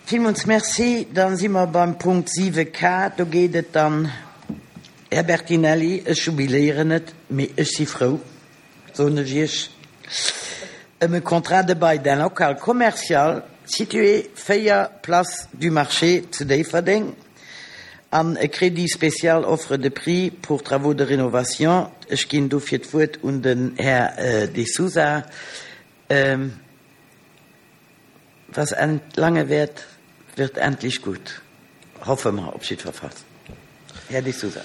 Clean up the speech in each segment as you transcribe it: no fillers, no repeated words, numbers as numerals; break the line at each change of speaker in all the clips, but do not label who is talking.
Villmools Merci. Da si mer beim Punkt 7 K. Do geet et dann, Här Bertinelli, ech jubiléieren net, mee ech si frou, soen ech Iech, ëm e Contrat de bail d'un local commercial situé 4 Place du Marché zu Déifferdeng an e Crédit spécial offre de prix pour travaux de rénovation. Ech ginn dofir d'Wuert un den Här De Sousa. Was lange währt, wird endlich gut. Hoffe mer op jiddwer Fall. Här De Sousa.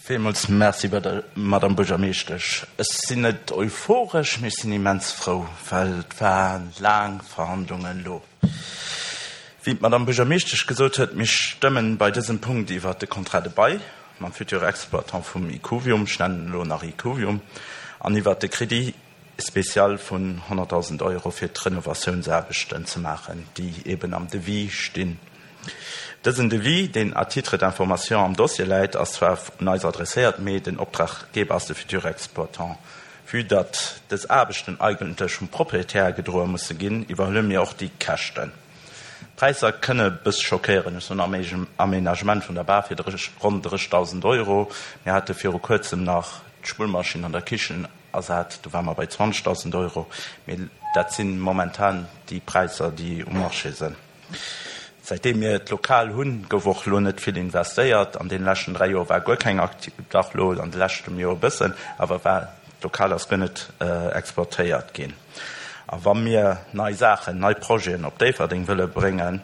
Villmools Merci, Madame Buergermeeschtesch. Ech sinn net euphoresch, mee ech sinn immens frou, well et ware laang Verhandlungen elo. Wéi d'Madame Buergermeeschtesch gesot huet, mir stëmmen bei dësem Punkt iwwert de Contrat de bail mam futur Exploitant vum Icuvium, ech nennen en elo nach Icuvium, an iwwert de Crédit spécial vun 100.000 Euro fir d'Renovatiounsaarbechten ze maachen, déi eben am Devis stinn. Dësen Devis, deen à titre d'information am Dossier läit, ass zwar un eis adresséiert, mee den Optraggeber ass de futur Exploitant. Vue datt dës Aarbechten eigentlech vum Proprietär gedroe musse ginn, iwwerhuele mir och déi Käschten. D'Präisser kënne bëss schockéieren, ech soen Aménagement vun der Bar fir ronn 30.000 Euro. Mir hate viru kuerzem nach d'Spullmaschinn an der Kichen ersat, do ware mer bei 20.000 Euro. Mee dat si momentan déi Präisser, déi um Marché sinn. Säitdeem mir d'Lokal hunn, gouf och elo net vill investéiert. An deene leschten 3 Joer war guer keng Akti, dach elo an de leschtem Joer e bëssen, awer war, d'Lokal ass guer net exploitéiert ginn. A wa mir nei Saachen, nei Projeten op Déifferdeng wëlle bréngen,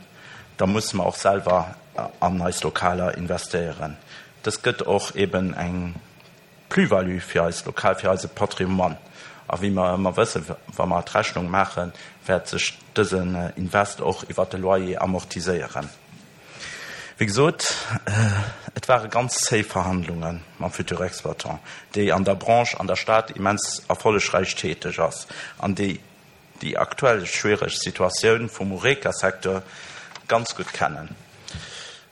da musse mer och selwer an eis Lokaler investéieren. Dës gëtt och eben eng Plus-value fir eist Lokal, fir eise Patrimoine. A wéi mer ëmmer wëssen, wa mer d'Rechnung maachen, wäert sech dësen Invest och iwwert de Loyer amortiséieren. Wéi gesot, et ware ganz zéi Verhandlunge mam futur Exploitant, déi an der Branche an der Stad immens erfollegräich täteg ass an déi déi aktuell schwiereg Situatioun vum Horeca-Secteur ganz gutt kennen.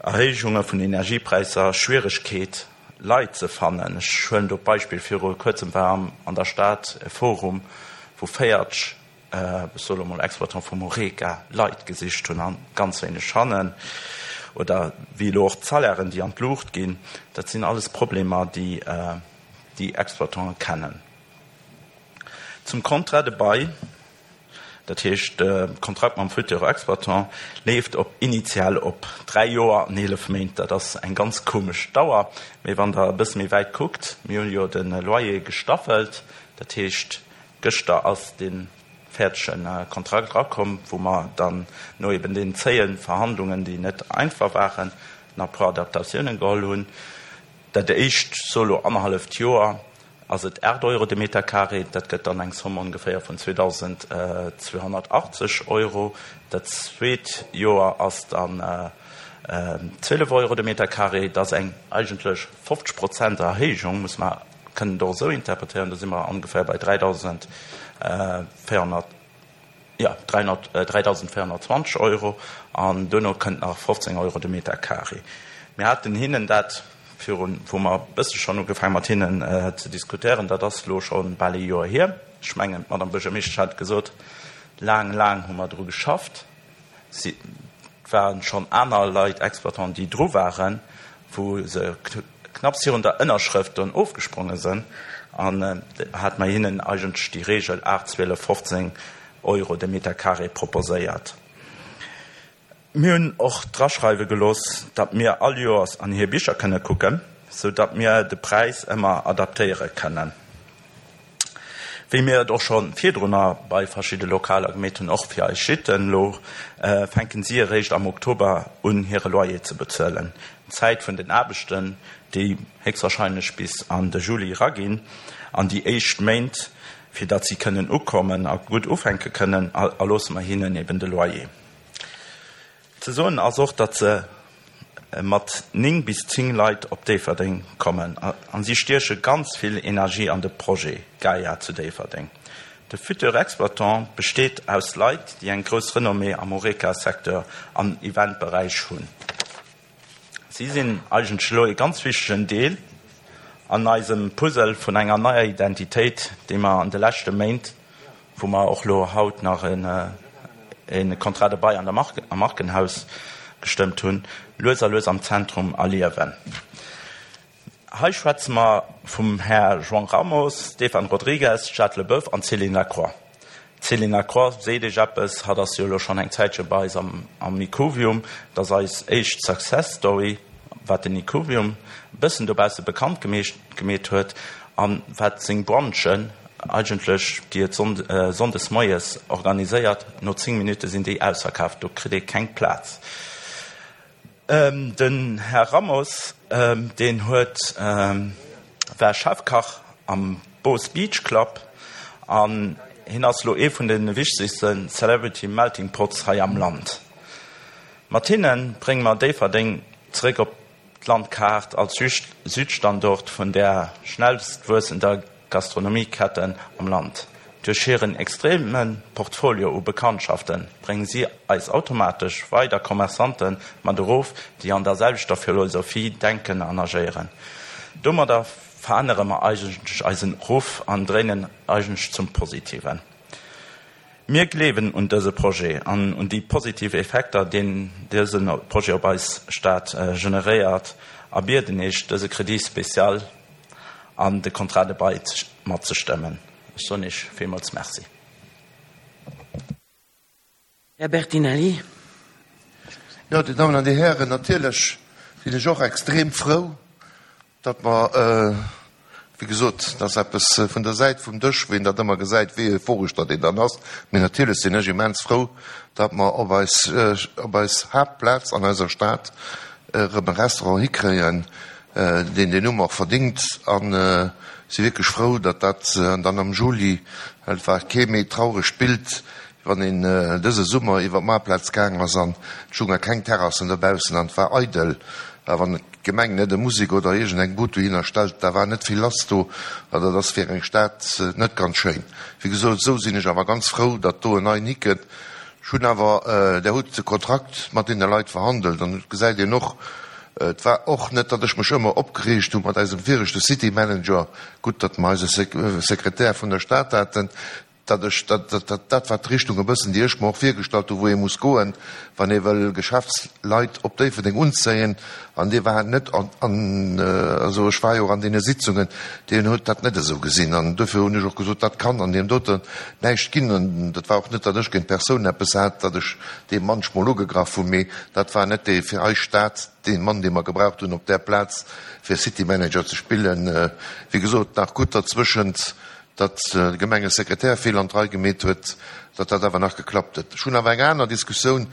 Erhéijunge vun Energiepräisser, Schwieregkeet Leit ze fannen. Ech huelen do d'Beispill, viru kuerzem war an der Stad e Forum, wou 40, ech soe lo mol Exploitants vum Horeca, Leit gesicht hunn a ganz wéineg fannen. Oder wéi elo och d'Salairen, déi an d'Luucht ginn. Dat sinn alles Problemer, déi déi Exploitante kennen. Zum Contrat de bail, dat heescht de Kontrakt mam futur Exploitant, leeft op initial op 3 Joer an 11 Méint. Dat ass eng ganz komesch Dauer, mee wann Der e bësse méi wäit kuckt, mir hu jo de Loyer gestaffelt, dat heescht gëschter ass dee fäerdege Kontrakt erakomm, wou mer dann no eben deenen zéie Verhandlungen, déi net einfach waren, nach e puer Adaptatiounen geholl hunn. Dat éischt, so elo annerhalleft Joer, ass et 8 Euro de Meter carré, dat gëtt dann eng Somme ongeféier vun 2.280 Euro. Dat zweet Joer ass dann 12 Euro de Meter carré, dat ass eng eigentlech 50 Prozent Erhéijung, muss mer kënnen et och esou interpretéieren, do si mer ongeféier bei 3.400. Jo, 3.420 Euro an duerno kënnt nach 15 Euro de Meter carré. Mir haten hinnen dat virun, wou mer e bësse schonn ugefaangen mat hinnen ze diskutéieren, dat ass elo scho bal ee Joer hier, ech mengen d'Madame Buergermeeschtesch hat et gesot, laang, laang hu mer dru geschafft. Et ware schonn aner Leit, Exploitanten, déi dru waren, wou se knapps virun der Ënnerschrëft dunn ofgespronge sinn, an hat mer hinnen eigentlech déi Regel 8, 12, 15 Euro de Meter carré proposéiert. Mir hunn och draschreiwe gelooss, datt mir all Joers an hir Bicher kënne kucken, sou datt mir de Präis ëmmer adaptéiere kënnen. Wéi mir et och scho virdrunner bei verschidde Lokaler gemeet hunn, och fir eis Gîten. Elo fänken si eréischt am Oktober un hire Loyer ze bezuelen. D'Zäit vun den Aarbechten, déi héchstwahrscheinlech bis an de Juli eraginn, an déi éischt Méint, fir datt si kënnen ukommen a gutt ufänke kënnen, erloosse mer hinnen eben de Loyer. Ze soen ass och, datt se mat 9 bis 10 Leit op Déifferdeng kommen a si stieche ganz vill Energie an de Projet Gaia zu Déifferdeng. De futur Exploitant besteet aus Leit, déi eng grouss Renommée am Horeca-Secteur an Eventberäich hunn. Si sinn eigentlech elo ee ganz wichtegen Deel an eisem Puzzle vun enger neier Identitéit, déi mer an de leschte Méint, wou mer och elo haut nach e. e Contrat de bail an der Mark, am Markenhaus gestëmmt hunn, lues a lues am Zentrum erliewen. Hei schwätze mer vum Här João Ramos, Stéphane Rodrigues, Jade Leboeuf an Céline Lacroix. D'Céline Lacroix seet Iech eppes, hatt ass jo elo schonn eng Zäitche bei eis am am Ikuvium. Et ass eis éischt Success Story, wat den Ikuvium e bëssen dobausse bekannt gemeecht gemeet huet an wat seng Brunchen eigentlech, déi et sonndes moies organiséiert, no 10 Minutte sinn déi ausverkaaft, do kritt ee keng Plaz. Den Här Ramos, deen huet, war Chefkach am Bo's Beach Club an hien ass elo ee vun de wichtegste Celebrity Melting Pots hei am Land. Mat hinne brénge mer Déifferdeng zeréck op d'Landkaart als Südstandort vun där schnellstwuessender Gastronomieketten am Land. Duerch hiren extreme Portfolio u Bekanntschafte brénge si eis automatesch weider Commerçante mat erof, déi an der selwechter Philosophie denken an agéieren. Domadder verännere mer eigentlech eisen Ruff an dréinen eigentlech zum Positiven. Mir gleewen un dëse Projet an un déi positiv Effekter, deen dëse Projet op eis Stad generéiert a bieden Iech, dëse Crédit spécial an de Contrat de bail matzestëmmen. Ech soen Iech villmools Merci.
Här Bertinelli.
Jo, Dir Dammen an Dir Hären, natierlech sinn ech och extrem frou, datt mer, wéi gesot, dat ass eppes vun der Säit vum Dësch, wou een dat ëmmer gesäit, wéi euphoresch datt een dann ass, mee natierlech sinn ech immens frou, datt mer op eis, op eis Haaptplaz an eiser Stad erëm e Restaurant hikréien, deen deen Numm och verdingt a si wierklech frou, datt dat dann am Juli, well et war kee méi trauregt Bild, wann een dëse Summer iwwer d'Maartplaz gaang ass an et stounge keng Terrassen dobaussen an et war eidel, a wann d'Gemeng net e Musek oder iergend eng Bud dohinner stellt, da war net vill lass do, a dat ass fir eng Stad net ganz schéin. Wéi gesot, esou sinn ech awer ganz frou, datt do en neien hikënnt. Ech hunn awer, Der hutt de Kontrakt mat deene Leit verhandelt an et gesäit een och, et war och net, datt ech mech ëmmer opgereegt hu mat eisem viregte City Manager, gutt, datt mer eise Sekretär vun der Stad haten, datt ech, dat, dat, dat war d'Richtung e bëssen, déi ech mer och virgestallt hu wou ee muss goen, wann ee wëll Geschäftsleit op Déifferdeng unzéien. An dee war net an, an, also ech war jo och an deene Sitzungen, deen huet dat net esou gesinn. An duerfir hunn ech och gesot, dat kann an deem doten näischt ginn. An dat war och net, datt ech géint d'Persoun eppes hat, datt ech dee manchmol ugegraff hunn, mee dat war net dee fir eis Stad, dee Mann, dee mer gebraucht hunn op där Plaz, fir City Manager ze spillen. Wéi gesot, nach gutt derzwëschent datt de Gemengesekretär vill an d'Rei gemeet huet, datt dat awer nach geklappt huet. Ech hunn awer eng aner Diskussioun,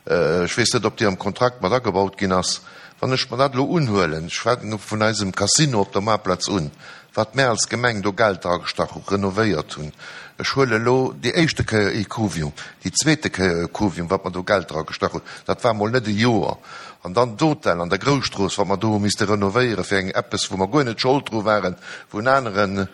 ech weess net, ob déi am Kontrakt mat agebaut ginn ass, wann ech mer dat elo unhuelen, ech fänken vun eisem Casino op der Maartplaz un, wat mär als Gemeng do Geld dragestach hu, renovéiert hunn, ech huele elo déi éischte Kéier Ecovium, déi zweete Kéier Ecovium, wat mer do Geld dragestach hunn, dat war mol net e Joer, an dann d'Hotel an der Grousstrooss, wat mer do hu misste renovéiere fir eng eppes, wou mer guer net Schold dru waren, wou en aneren,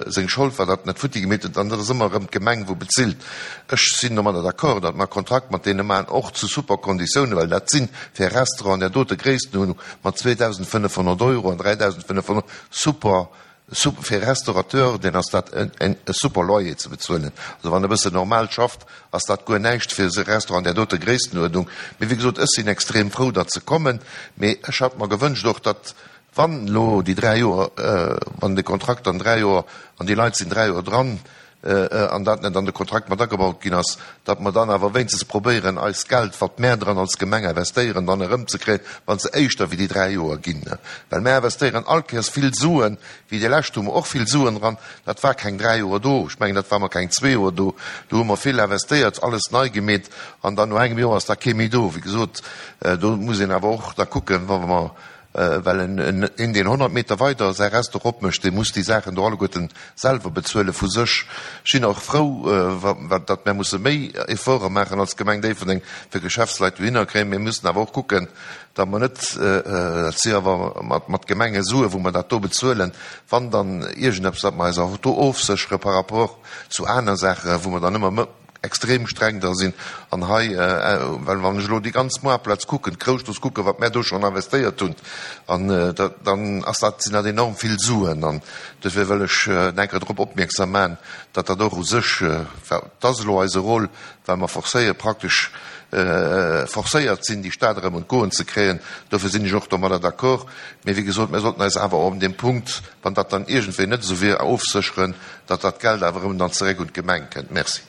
seng Schold war, datt en net futti gemeet huet, an dat ass ëmmer erëm d'Gemeng wou bezilt. Ech sinn domadder d'accord, datt mer e Kontrakt mat deene maachen, och zu super Konditiounen, well dat si fir e Restaurant an där dote Gréisstenuerdnung mat 2.500 Euro an 3.500 super, super fir e Restaurateur, deen ass dat e super Loyer ze bezuelen. Also wann e bëssen normal schafft, ass dat guer näischt fir e Restaurant an där dote Gréisstenuerdnung. Mee wéi gesot, ech sinn extrem frou, datt se kommen, mee ech hat mer gewënscht och, datt Wann elo déi 3 Joer, wann de Kontrakt dann 3 Joer, an déi Leit sinn 3 Joer dran, an dat net an de Kontrakt mat agebaut ginn ass, datt mer dann awer wéinstens probéieren, eist Geld, wat mär dran als Gemeng investéieren, dann erëmzekréien, wa se éischter wéi déi 3 Joer ginn. Well mär investéieren all Kéiers vill Suen, wéi déi lescht hu mer och vill Suen dran, dat war keng 3 Joer do, ech mengen, dat war mer keng zwee Joer do, do hu mer vill investéiert, alles nei gemeet, an dann no engem Joer ass da kee méi do. Wéi gesot, do muss een awer och da kucken, wa mer Well en een, deen 100 Meter weider säi Restaurant opmécht, dee muss déi Saachen do alleguerten selwer bezuele vu sech. Ech sinn och frou, datt mär musse méi Efforte maachen als Gemeng Déifferdeng, fir Geschäftsleit dohinner kréien. Mir mussen awer och kucken, datt mer net, dat si awer mat Gemengesue wou mer dat do bezuelen, wann dann iergendeppes, datt mer eis och do ofséchere par rapport zu aner Saachen, wou mer dann ëmmer. extrem streng da sinn an hei, well wann ech elo déi ganz Moartplaz kucken, d'Groussstrooss kucken, wat mär do schonn investéiert hunn, an dann ass dat, sinn dat enorm vill Suen. An dofir wëll ech en enker drop opmierksam maachen, datt dat och u sech, dat ass elo eise Rôle, well mer forcéieren, praktesch forcéiert sinn, déi Stad erëm un d'Goen ze kréien. Dofir sinn ech och domadder d'accord. Mee wéi gesot, mir sollten eis awer och op deem Punkt, wann dat dann iergendwéi net esou wier, ofsécheren, datt dat Geld awer erëm dann zeréck un d'Gemeng kënnt. Merci.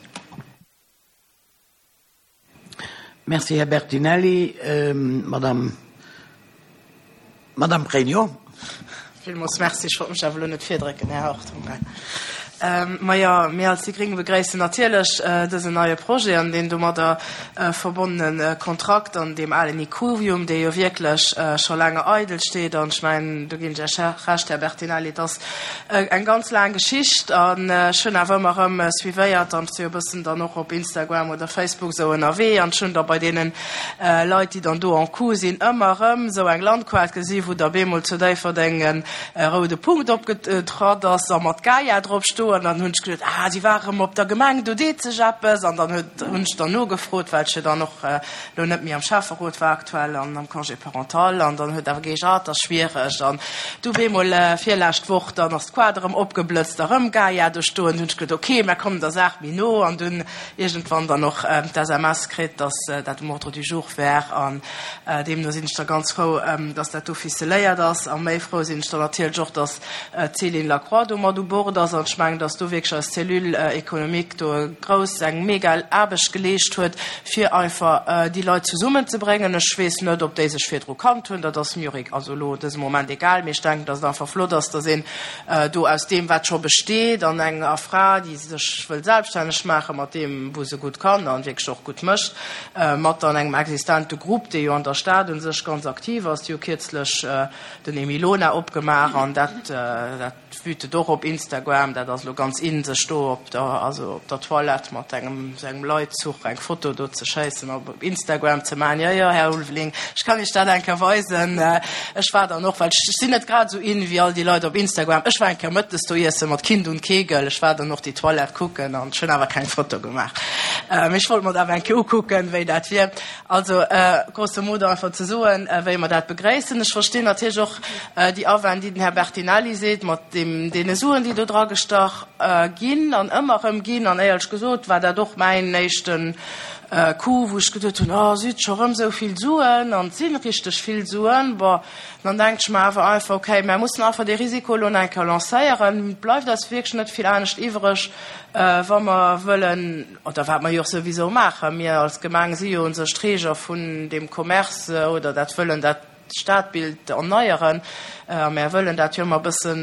Merci, Här Bertinelli. Madame, Madame Pregno.
Villmools Merci. Ech wollt mech awer elo net virdrécken, Här Hartung. Majo, mir als déi Gréng begréissen natierlech dësen neie Projet an deen domadder verbonnene Kontrakt an deem alen Ikuvium, dee jo wierklech scho laange eidel steet. An ech mengen, do ginn ech Iech Recht, Här Bertinelli, et ass eng ganz laang Geschicht an ech hunn awer ëmmer erëm suivéiert an ech si jo e bëssen dann och op Instagram oder Facebook esou ënnerwee an ech hunn da bei deene Leit, déi dann do en cours sinn, ëmmer erëm esou eng Landkaart gesi wou da bemol zu Déifferdeng e roude Punkt opgetratt ass a mat Gaia drop stoen. An dann hunn ech geduet, ah, si war erëm op der Gemeng, do deet sech eppes. An dann huet, hunn ech dann nogefrot, well ech jo dann och elo net méi am Schäfferot war aktuell an am Congé parental. An dann huet awer geheescht, ah, et ass schwiereg. An du bemol virlescht Woch, dann ass d'Kaart erëm opgeblëtzt, erëm Gaia do stoen. Hunn ech geduet, okay, mer kommen der Saach méi no. An dunn iergendwann dann och d'SMS kritt, dass dat um Ordre du jour wär. An deemno sinn ech da ganz frou, dass dat do ficeléiert ass. A méi frou sinn ech dann natierlech och, dass d'Céline Lacroix do mat u Bord ass. An ech mengen, dass do wierklech eis Cellule économique do e grouss, eng mega Aarbecht geleescht huet, fir einfach déi Leit zesummenzebréngen. Ech weess net, ob déi sech virdru kannt hunn, dat ass mir och also elo dëse Moment egal. Mee ech denken, dass et einfach flott ass, dass een do aus deem, wat scho besteet, an enger Fra, déi sech wëll selbststänneg maachen, mat deem, wou se gutt kann an wierklech och gutt mécht, mat dann engem existente Grupp, dee jo an der Stad u sech ganz aktiv ass. Déi hu kierzlech den Emilona opgemaach an dat, dat wütet och op Instagram. Dat ass elo ganz in, sech do op der, also op der Toilette mat engem, esou engem Leitzuch eng Foto do ze schéissen a op Instagram ze maachen. Jo, jo, Här Ulveling, ech kann Iech dat eng Kéier weisen. Ech war dann och, well ech sinn net grad esou in wéi all déi Leit op Instagram, ech war eng Kéier mëttes do iesse mat Kind und Kegel. Ech war dann och déi Toilette kucken an ech hunn awer keng Foto gemaach. Mee ech wollt mer et awer eng Kéier ukucken, wéi dat wier. Also grosso modo einfach ze soen, wéi mer dat begréissen. Ech verstinn natierlech och déi Awänn, déi den Här Bertinelli seet, mat deem, deene Suen, déi do dragestach ginn an ëmmer erëm ginn. An éierlech gesot war dat och mäin éischten Coup, wou ech geduet hunn, oh, si huet scho rëm esou vill Suen, an et si richteg vill Suen. Bon, dann denkt ech mer awer einfach, okay, mär mussen einfach dee Risiko elo nach eng Kéier lancéieren. Et bleift eis wierklech net vill anescht iwwreg, wa mer wëllen, oder wat mer jo och souwisou maachen, mir als Gemeng si jo u sech Träger vun deem Commerce oder dat wëllen dat Stadbild erneieren, a mär wëllen dat jo ëmmer e bësse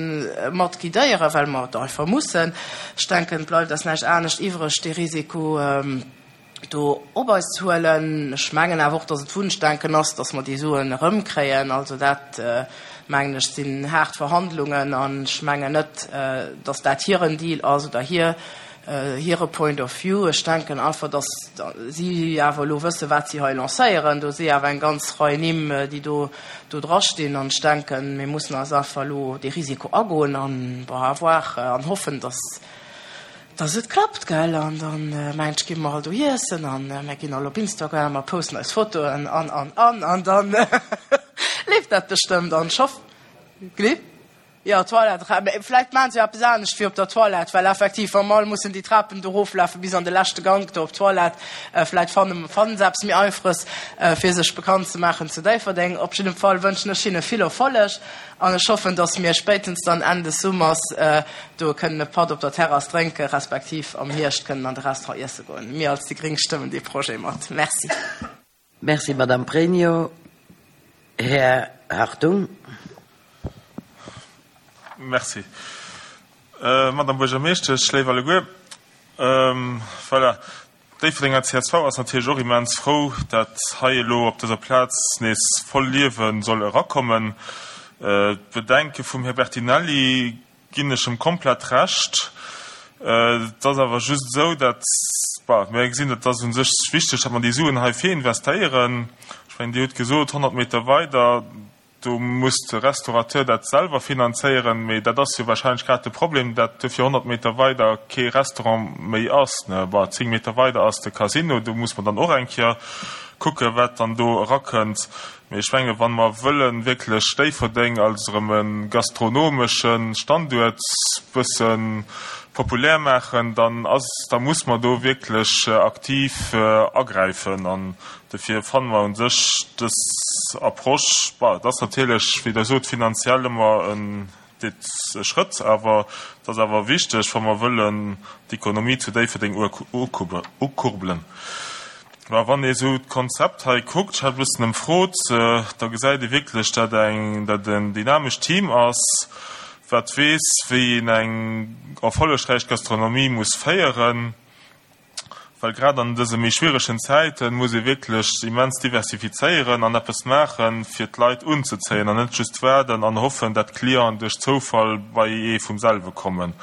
mat guidéieren, well mer et einfach mussen. Ech denken, et bleift eis näischt anescht iwwreg, dee Risiko do op eis ze huelen. Ech mengen awer och, dass et Wunschdenken ass, dass mer déi Suen erëmkréien. Also dat, mengen ech, sinn haart Verhandlungen an ech mengen net, dass dat hiren Deal ass oder hir hire Point of view. Ech denken einfach, dass si awer elo wëssen, wat si hei lancéieren. Do si awer eng ganz Rei Nimm, déi do do drastinn. An ech denken, mir mussen eis einfach elo dee Risiko agoen an, bon, à voir an hoffen, dass dass et klappt, gell. An dann, mengen ech, gi mer all do iessen an mir ginn all op Instagram a posten eis Fotoen an, an, an. An dann leeft dat bestëmmt an ech hoff, gell? Jo, Toilette, mä vläicht maachen se jo eppes anescht wéi op der Toilette, well effektiv, wa mer all mussen déi Trapen do eroflafen bis an de leschte Gank do op d'Toilette, vläicht fanne fannen se eppes méi Einfaches, fir sech bekannt ze maachen zu Déifferdeng. Op jiddem Fall wënschen ech hinne vill Erfolleg an ech hoffen, dass mir spéitens dann Enn des Summers do kënnen e Patt op der Terrass drénke respektiv am Hierscht kënnen an de Restaurant iesse goen. Mir als déi Gréng stëmmen dee Projet mat. Merci.
Merci, Madame Pregno. Här Hartung.
Merci, Madame Buergermeeschtesch, léif alleguer. Voilà, d'Déifferdenger csv ass natierlech och immens frou, dat hei elo op dëser Plaz nees voll Liewe soll erakommen. D'Bedenke vum Här Bertinelli ginn ech em komplett Recht. Et ass awer just esou, dat, bah, mir gesinn, et ass u sech wichteg, datt mer déi Suen hei fir investéieren. Ech mengen, Dir hutt gesot, 100 Meter weider. do muss de Restaurateur dat selwer finanzéieren, mee dat ass jo wahrscheinlech grad de Problem, dat duerfir 100 Meter weider kee Restaurant méi ass, ne. Bon, 10 Meter weider ass de Casino, do muss mer dann och eng Kéier kucken, wat dann do erakënnt. Mee ech menge wa mer wëlle wierklech Déifferdeng als erëm e gastronomesche Standuert bësse populär maachen, dann ass, da muss mer do wierklech aktiv agräifen. An dofir fanne mer u sech dës Approche, bon, et ass natierlech, wéi Der sot, finanziell ëmmer en Dit e Schrëtt, awer et ass awer wichteg, wa mer wëllen d'Ekonomie zu Déifferdeng ukurbelen. Mä wann ee sou d'Konzept hei kuckt, ech hat e bëssen ëmfrot, da gesäit ee wierklech, dat eng, dat en dynamescht Team ass, wat weess, wéi een eng erfollegräich Gastronomie muss féieren. Well grad an dëse méi schwieregen Zäite muss ee wierklech immens diversifizéieren an eppes maachen, fir d'Leit unzezéien an net just waarden an hoffen, dat d'Clienten duerch Zoufall bei ee vum selwe kommen.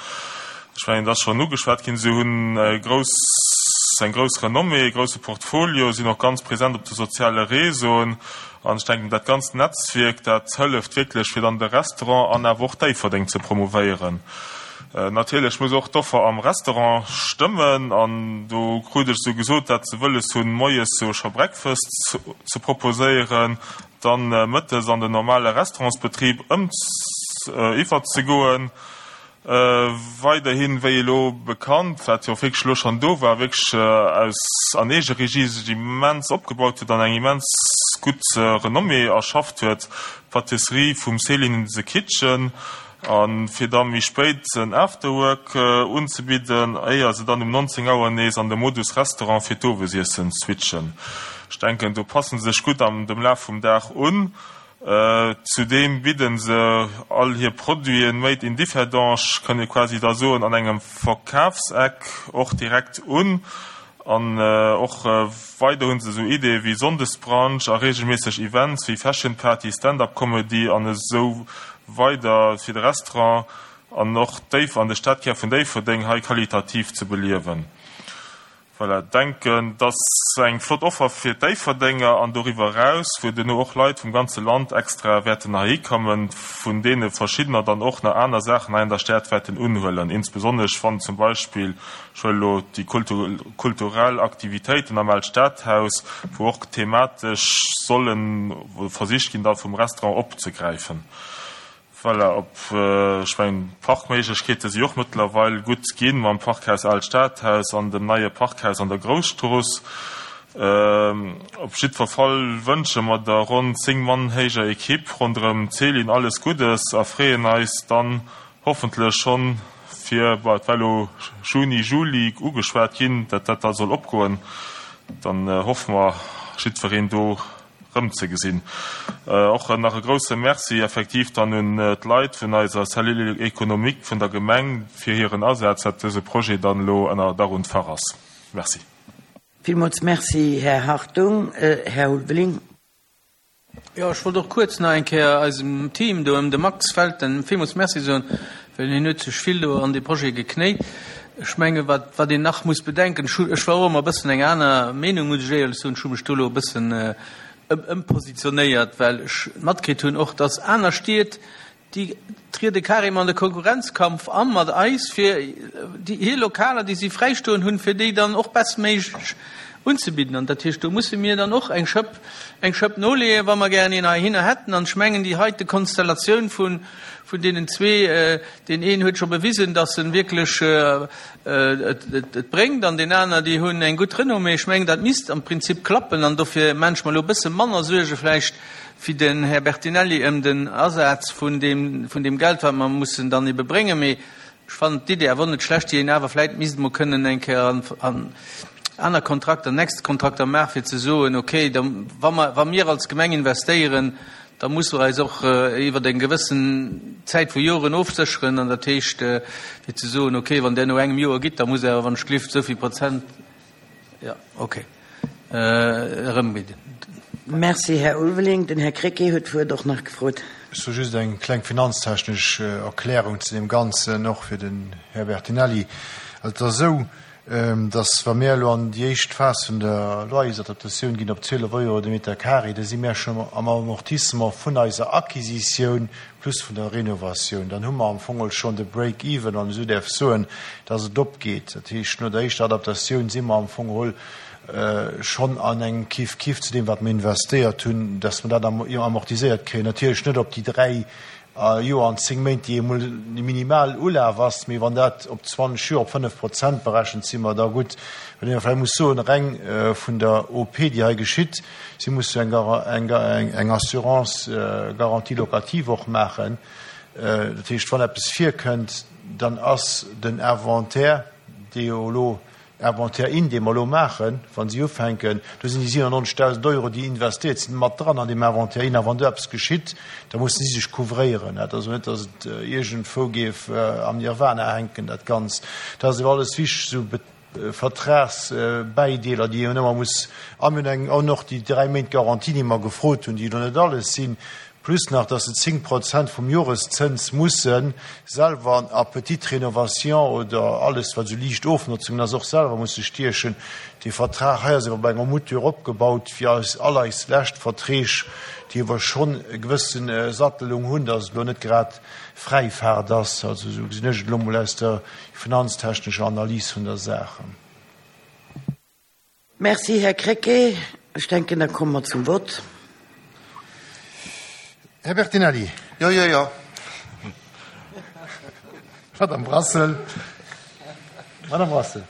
Ech mengen, et ass schonn ugeschwat ginn, se hunn e grouss, eng grouss Renommée, e grousse Portfolio, sinn och ganz present op de soziale Réseauen. An ech denken, dat ganzt Netzwierk, dat hëlleft wierklech, fir dann de Restaurant an awer och Déifferdeng ze promouvéieren. Natierlech muss och d'Offer am Restaurant stëmmen an do krut ech esou gesot, dat se wëlles hunn, moies sou scho Breakfast ze proposéieren, dann mëttes an den normale Restaurantsbetrib ëm iwwerzegoen. Weiderhin, wéi elo bekannt, wat jo och wierklech elo schonn do war, wierklech aus an Eegeregie sech immens opgebaut huet an eng immens gutt Renommée erschafft huet, d'Pâtisserie vum Céline in the Kitchen, A fir da méi spéit en Afterwork unzebidden, éier se dann um 19 Auer nees an de Modus Restaurant fir d'Owesiessen switchen. Ech denken, do passen se sech gutt am dem Laf vum Dag un. Zudeem bidden se all hir Produiten made in Differdange, kënnt ee quasi da soen, an engem Verkafseck och direkt un. An och weider hunn se esou Ideeë wéi Sonndesbrunch a reegelméisseg Events wéi Fashion Party, Stand-up Comedy an esou weider fir de Restaurant an och Déif an de Stadkär vun Déifferdeng hei qualitativ ze beliewen. Voilà, denken et ass eng flott Offer fir d'Déifferdenger an doriwwer eraus, wou duerno och Leit vum ganze Land extra wäerten heihi kommen, vun deene verschiddener dann och nach aner Saachen hei an der Stad wäerten unhuelen, insbesonnesch wann zum Beispill Ech huelen elo déi kulturell Aktivitéiten am Aalt Stadhaus, wou och thematesch solle versicht ginn, da vum Restaurant opzegräifen. Voilà, op, ech mengen, d'Parkméiglechkeete si och mëttlerweil gutt ginn mam Parkhaus Aalt Stadhaus an dem neie Parkhaus an der Grousstrooss. Op jiddwer Fall wënsche mer der ronn 10 Mann héijer Ekipp ronderëm d'Céline alles Guddes a freeën eis dann hoffentlech schonn fir, bon, et war elo Juni, Juli ugeschwat ginn, datt dat da soll opgoen, dann hoffe mer jiddwereen do erëmzegesinn. Och nach e grouse Merci effektiv dann un d'Leit vun eiser Cellule économique vun der Gemeng fir hiren Asaz, datt dëse Projet dann elo ënner Dach und Fach ass. Merci.
Villmools Merci, Här Hartung. Här Ulveling.
Jo, ech wollt och kuerz nach eng Kéier eisem Team do ëm de Max Felten villmools Merci soen, well hien huet sech vill do an dee Projet geknéit. Ech menge wat, wat een nach muss bedenken, ech hu, ech war och ëmmer e bëssen eng aner Meenung, muss ech éierlech soen, ech hu mech do elo e bëssen ëmpositionéiert, well ech matkritt hunn och, dass aner Stied, Déi triede carrément an de Konkurrenzkampf a mat eis, fir hir Lokaler, déi si fräistoen hunn, fir déi dann och bestméiglech unzebidden. An dat heescht, do musse mir dann och eng Schëpp, eng Schëpp noleeën, wa mer gären een heihinner hätten. An ech mengen, déi heite Konstellatioun vun, vun deenen zwee, deen een huet scho bewisen, datt en wierklech et bréngt, an deen aner, déi hunn eng gutt Renommée. Ech mengen, dat misst am Prinzip klappen. An dofir maan ech mer elo e bësse manner Suerge vläicht, wéi den Här Bertinelli ëm den Asaz vun deem, vun deem Geld, wat mer mussen dann ebe bréngen. Mee ech fannen d'Idee awer och net schlecht, déi een awer vläicht misst emol kënnen eng Kéier an, an aner Kontrakter, nächst Kontrakter maachen, fir ze soen, okay, da, wa mer, wa mir als Gemeng investéieren, da musse mer eis och iwwer eng gewëssen Zäit vu Joren ofsécheren. An dat heescht, fir ze soen, okay, wann Der no engem Joer gitt, da musst Der awer, wann ech gelift, esou vill Prozent, Jo, ok. Erëmbidden.
Merci, Här Ulveling. Den Här Krecké huet d'Wuert och nach gefrot.
Ech soe just eng kleng finanztechnesch Erklärung zu deem Ganzen, och fir den Här Bertinelli. Also et ass esou, Dass, wa mir elo an déi éischt Phas vun der Loyersadaptatioun ginn op 12 Euro de Meter carré, da si mir schonn am Amortissement vun eiser Acquisitioun plus vun der Renovatioun. Dann hu mer am Fong schonn de Break-even, wann een esou däerf soen, dass et opgeet. Dat heescht, no der éischter Adaptatioun si mer am Fong geholl schonn an engem Kif-Kif zu deem, wat mer investéiert hunn, dass mer dat amortiséiert kréien. Natierlech net op déi dräi Joer an 10 Méint, déi emol de minimal Ulaf ass, mee wann dat op 20 Joer op 5 Prozent berechent, si mer da gutt. Wat een vläicht muss soen, reng vun der OP, déi hei geschitt, si musse eng Assurance garantie locative och maachen. Dat heescht, wann eppes virkënnt, dann ass den Inventaire, dee jo elo Inventaire in, dee mer elo maachen, wa si ufänken, do sinn déi 97.000 Euro, déi investéiert sinn, mat dran an deem Inventaire in. A wann do eppes geschitt, da mussen si sech couvréieren. Dat ass also net, datt et iergendwou géif am Nirvana hänken, dat Ganzt. Dat ass awer alles wichteg, esou Vertragsbäideeler, déi een ëmmer muss a mir hunn eng an och déi dräi Méint Garantie, déi mer gefrot hunn, déi elo net alles sinn, Plus nach, dass se 10 Prozent vum Joreszëns musse selwer a petites rénovations oder alles, wat esou liicht Ofnotzungen ass, och selwer musse stiechen. Dee Vertrag hei ass awer bei enger Mouture opgebaut, wéi eis all eis lescht Verträg, déi awer schonn e gewësse Sattelung hunn, dass et elo net grad Fräifaart ass. Also esou gesinn ech et elo mol aus der finanztechnescher Analys vun der Saach.
Merci, Här Krecké. Ech denken, da komme mer zum Vott.
Här Bertinelli.
Jo, jo, jo.
Madame Brassel. Madame Brassel.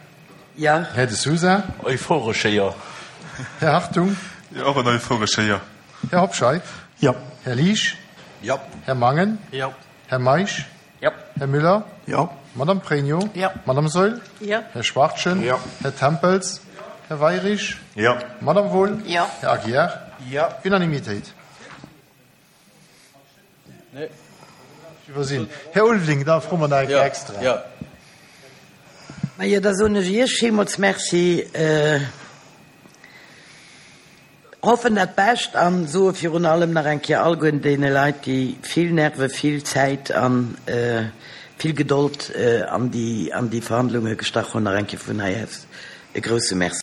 Ja.
Här De Sousa.
Euphoresche Jo.
Här Hartung.
Jo, och en euphoresche Jo.
Här Hobscheit.
Jo.
Här Liesch.
Jo.
Här Mangen.
Jo.
Här Meisch.
Jo.
Här Müller.
Jo.
Madame Pregno.
Jo.
Madame Saeul.
Jo.
Här Schwachtgen.
Jo.
Här Tempels. Här Weirich.
Jo.
Madame Wohl.
Jo.
Här Aguiar.
Jo.
Unanimitéit.
Nee.
Iwwersinn. Här Ulveling, da froe mer nach eng Kéier extra.
Jo.
Majo, da soen ech Iech villmools Merci. Hoffen dat Bescht an soe virun allem nach eng Kéier allgueren deene Leit, déi vill Nerve, vill Zäit an vill Gedold an déi an déi Verhandlunge gestach hunn, nach eng Kéier vun hei aus e grousse Merci.